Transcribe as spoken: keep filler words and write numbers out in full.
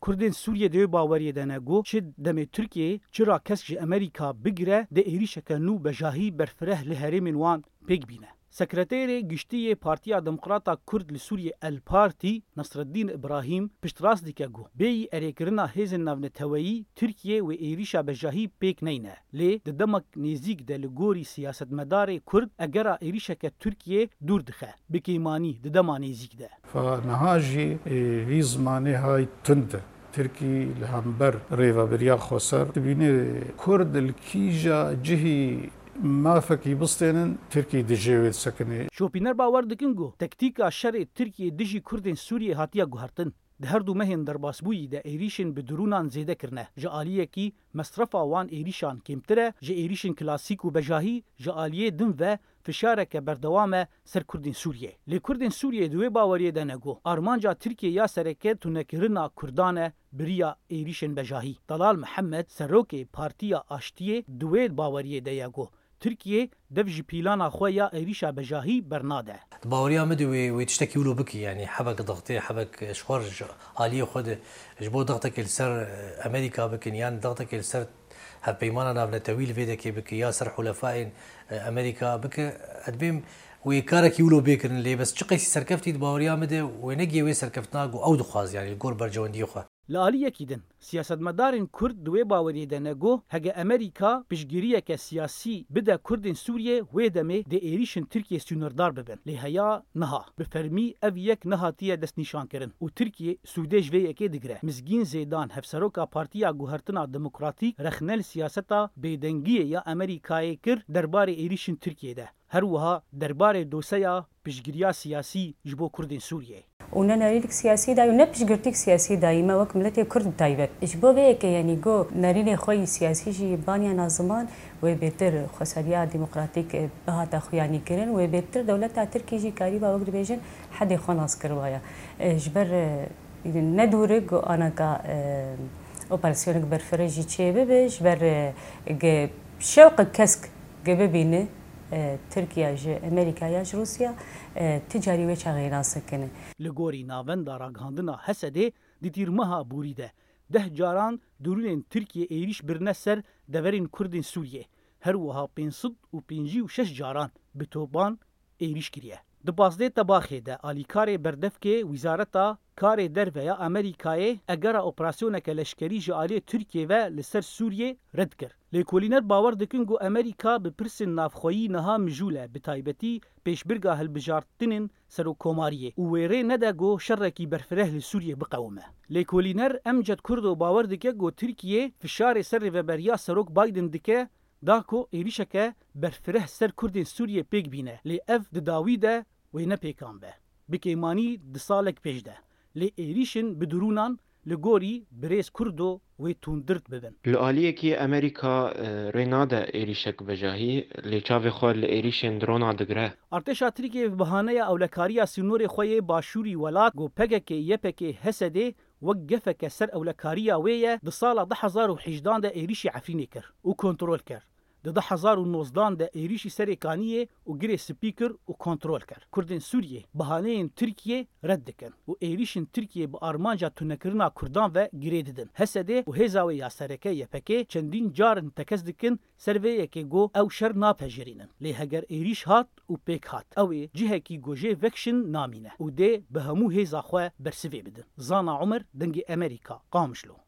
Kurdên Sûriyê di wê baweriyê de ne ku çi demê Tirkiyeyê, çi ra kesk ji Amerîka bigire, dê êrîşeke nû bejahî berfireh li herêmên wan pêk bîne. Sekreterê Giştî yê Partiya Demokrata Kurd li Sûriyê El Partî, Nasreddîn Îbrahîm, piştrast dike ku bêyî erêkirina hêzên navneteweyî Tirkiye wê êrîşa bejahî pêk neyne. Lê di demek nêzîk de li gorî siyasetmedarê Kurd egera êrîşeke Tirkiye dûr dixe, bi kêmanî di dema nêzîk de. Fa niha jî, e, vî zimanê hay tund e. Tirkî li hember rêvebiriya xweser dibîne Kurd li kîja cihî mafekî bistênin, Tirkî dijê wê disekinê. Şopîner bawer dikin ku tektîka şerê Tirkiyê dijî Kurdên Sûriyê hatiye guhertin. Di her du mehên derbasbûyî de êrîşên bi dirûnan zêde kirine. Ji aliyekî mesrefa wan êrîşan kêmtir e, ji êrîşên klasîk û bejahî ji aliyê din ve fişareke berdewam e ser Kurdên Sûriyê. Lê Kurdên Sûriyê di wê baweriyê de ne ku armanca Tirkiyê ya sereke tunekirina Kurdan e bi riya êrîşên bejahî. Delal Mihemed, serokê Partiya Aştiyê, di wê baweriyê de ye ku Tirkiye dev ji pîlana xwe ya êrîşa bejahî bernade. Di baweriya min de wê, wê tiştekî wilo bikî, yanî hebek dixtê, hebek ji xwe ji aliyê xwe de ji bo dixtekê li ser, e, Amerîka bikin, yan dixtekê li ser hevpeymana navnetewî li vê dekê bike, ya ser hulefayên, e, Amerîka bike, ez dibêm wê karekî wilo bê kirin, lê bes çi qeysî serkeftî di baweriya min de wê negihê wê serkeftina ku ew dixwaz, yanî li gor berjewendiyê xwe. Li aliyekî din, siyasetmedarên Kurd di wê baweriyê de ne ku hege Amerîka piştgiriyeke siyasî bide Kurdên Sûriyê, wê demê dê êrîşên Tirkiyê sînordar bibin. Lê heya niha, bi fermî ev yek nehatiye destnîşankirin û Tirkiye sûdê ji vê yekê digire. Mizgîn Zêdan, hevseroka Partiya Guhertina Demokratîk, rexne li siyaseta bêdengiyê ya Amerîkayê kir derbarê êrîşên Tirkiyê de. Her wiha derbarê doseya piştgiriya siyasî ji bo Kurdên Sûriyê. Û ne nerînek siyasî dayî û ne piştgirtîk siyasî dayî me wek miletê Kurd bi taybet. Ji bo vê yekê, yanî go nerînê xwe yî siyasî jî baniya naziman, wê bêtir xweseriya demokratîk, e, bihata xuyanî kirin, wê bêtir dewleta Tirkî jî karîba wek dibêjin hedê xwe nas kiribaya. E, ji ber, e, ne dûrik go anaka, e, operasyonek berfireh jî çêbibe, ji ber, e, ge şewqek kesk ge bibîne, e, Tirkiye ji Amerîka ya ji Rûsya, e, ti carî wê çaxê nas nikine. Li gorî Navenda Ragihandina Hesedê di tîrmeha borî de deh caran dirûnên Tirkiyê êrîş birine ser deverên Kurdên Sûriyê. Her wiha pênc sed û pêncî û şeş caran bi topan êrîş kiriye. Di pazdeh Tebaxê de alîkarê berdevkê Wizareta Karê Derve ya Amerîkayê egera operasyoneke leşkerî ji aliyê Tirkiyê ve li ser Sûriyê red kir. Lêkolîner bawer dikin ku Amerîka bi pirsên navxweyî niha mijûl e, bi taybetî pêşbirga hilbijartinên serokkomariyê û wê rê nede ku şerekî berfireh li Sûriyê biqewime. Lêkolîner Emced Kurdo bawer dike ku Tirkiye fişarê ser rêveberiya Serok Biden dike, da ku êrîşeke berfireh ser Kurdên Sûriyê pêk bîne, lê ev di dawî de wê nepêkan be. Bi kêmanî di salek pêş de. Lê êrîşên bi dirûnan li gorî birêz Kurdo wê tundtir bibin. Li aliyekî Amerîka, e, rê nade êrîşek bejahî, lê çavê xwe li êrîşên drona digire. Artêşa Tirkiyê bi bahaneya ewlekariya sînorê xwe yê başûrî welat, ku P K K Y P G H S D wek gefeke ser ewlekariya wê ye, di sala du hezar û hejdan de êrîşî Efrînê kir û kontrol kir. Di du hezar û nozdan de êrîşî Serê Kaniyê û Girê Spî kir û kontrol kir. Kurdên Sûriyê bahaneyên Tirkiyê red dikin û êrîşên Tirkiyê bi armanca tunekirina Kurdan ve girê didin. H S D û hêza wê ya sereke Y P G çendîn car in tekez dikin ser vê yekê ku ew şer napejirînin. Lê heger êrîş hat û pêk hat, ew ê cihekî ku jê vekişin namîne û dê bi hemû hêza xwe bersivê bidin. Zana Umer, Dengê Amerîka, Qamişlo.